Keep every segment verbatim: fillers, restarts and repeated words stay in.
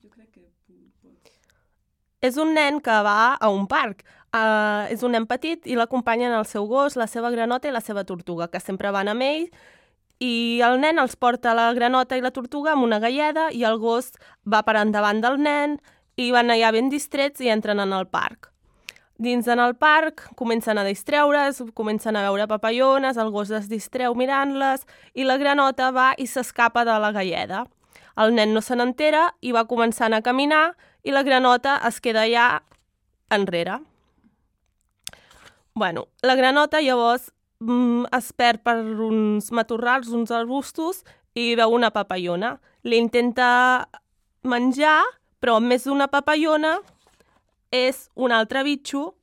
jo crec que pots... És un nen que va a un parc. Uh, és un nen petit i l'acompanyen el seu gos, la seva granota i la seva tortuga, que sempre van amb ell, i el nen els porta la granota i la tortuga amb una galleda i el gos va per endavant del nen i van allà ben distrets i entren en el parc. Dins en el parc comencen a distreure's, comencen a veure papallones, el gos es distreu mirant-les i la granota va i s'escapa de la galleda. El nen no se n'entera i va començant a caminar i la granota es queda allà enrere. Bueno, la granota llavors mm, es perd per uns matorrals, uns arbustos i veu una papallona. L'intenta menjar, però més d'una papallona és un altre bitxo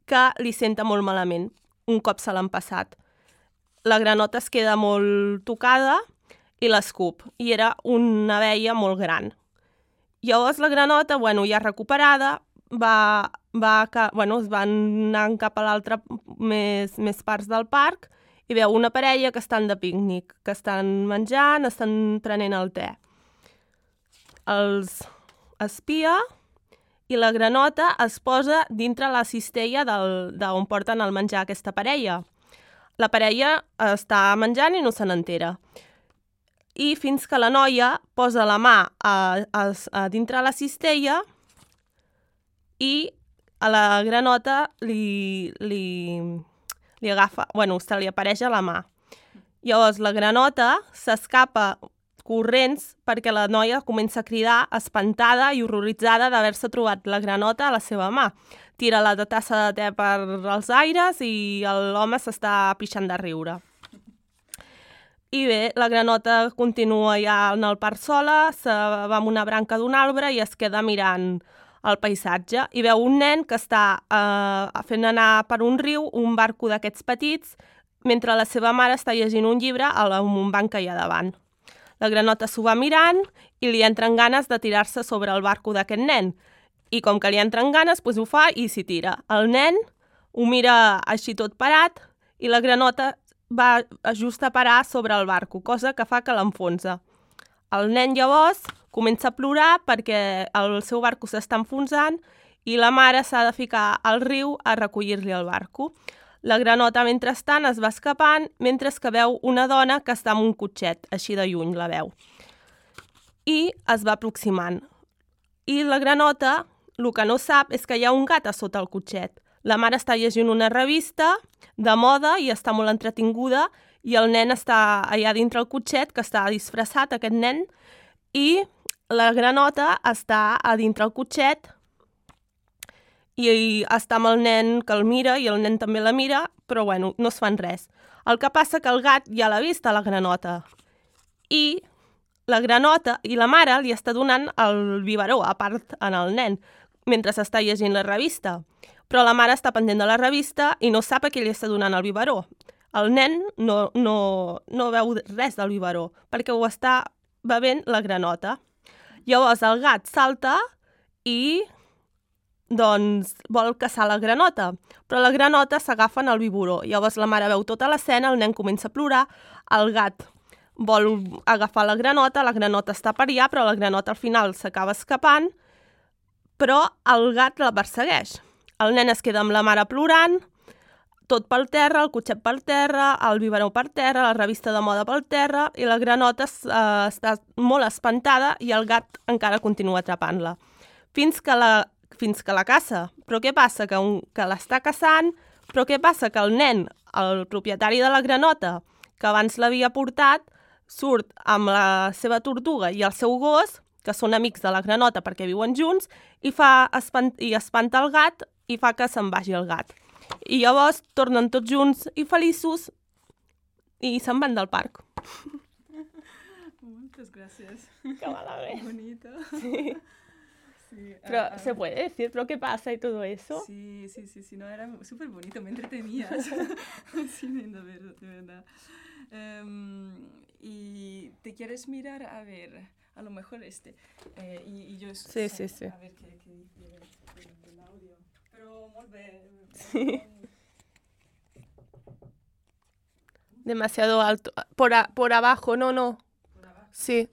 que li senta molt malament, un cop se l'han passat. La granota es queda molt tocada i l'escup, i era una abella molt gran. Llavors la granota, bueno, ja recuperada, va, va, bueno, es van anar cap a l'altra més, més parts del parc i veu una parella que estan de pícnic, que estan menjant, estan prenent el te. Els espia i la granota es posa dintre la cistella d'on porten el menjar aquesta parella. La parella està menjant i no se n'entera. I fins que la noia posa la mà a, a, a dintre la cistella i a la granota li, li, li agafa, bueno, se li apareix a la mà. Llavors la granota s'escapa corrents perquè la noia comença a cridar espantada i horroritzada d'haver-se trobat la granota a la seva mà. Tira la tassa de te per als aires i l'home s'està pixant de riure. I bé, la granota continua ja en el parc sola, se va amb una branca d'un arbre i es queda mirant el paisatge i veu un nen que està eh, fent anar per un riu un barco d'aquests petits mentre la seva mare està llegint un llibre amb un banc que hi ha davant. La granota s'ho va mirant i li entren ganes de tirar-se sobre el barco d'aquest nen. I com que li entren ganes, doncs ho fa i s'hi tira. El nen ho mira així tot parat i la granota va just a parar sobre el barco, cosa que fa que l'enfonsa. El nen llavors comença a plorar perquè el seu barco s'està enfonsant i la mare s'ha de ficar al riu a recollir-li el barco. La granota, mentrestant, es va escapant, mentre que veu una dona que està en un cotxet, així de lluny la veu. I es va aproximant. I la granota, el que no sap és que hi ha un gat a sota el cotxet. La mare està llegint una revista de moda i està molt entretinguda i el nen està allà dintre el cotxet, que està disfressat, aquest nen, i la granota està a dintre el cotxet i està amb el nen que el mira i el nen també la mira, però bueno, no es fan res. El que passa que el gat ja l'ha vist a la granota i la granota i la mare li està donant el biberó, a part en el nen, mentre s'està llegint la revista. Però la mare està pendent de la revista i no sap a qui li està donant el biberó. El nen no, no, no veu res del biberó, perquè ho està bevent la granota. Llavors el gat salta i doncs vol caçar la granota, però la granota s'agafa en el biberó. Llavors la mare veu tota l'escena, el nen comença a plorar, el gat vol agafar la granota, la granota està per allà, però la granota al final s'acaba escapant, però el gat la persegueix. El nen es queda amb la mare plorant, tot pel terra, el cotxet per terra, el biberó per terra, la revista de moda per terra, i la granota eh, està molt espantada i el gat encara continua atrapant-la. Fins que la, fins que la caça. Però què passa? Que, un, que l'està caçant, però què passa? Que el nen, el propietari de la granota, que abans l'havia portat, surt amb la seva tortuga i el seu gos, que són amics de la granota perquè viuen junts, i, fa espant i espanta el gat i fa que se'n vagi el gat. I llavors tornen tots junts i feliços i se'n van del parc. Moltes gràcies. Que malament. Bonita. Sí. Sí, Pero, ah, ah, ¿se puede decir lo que pasa y todo eso? Sí, sí, sí, sí, no, era súper bonito, me entretenías. Sí, de verdad, de verdad. Um, y te quieres mirar, a ver, a lo mejor este, eh, y, y yo... Sí, sí, sí. A ver qué, qué dice el audio. Pero, molt bé. Sí. Demasiado alto. Por, a, por abajo, no, no. Por abajo. Sí.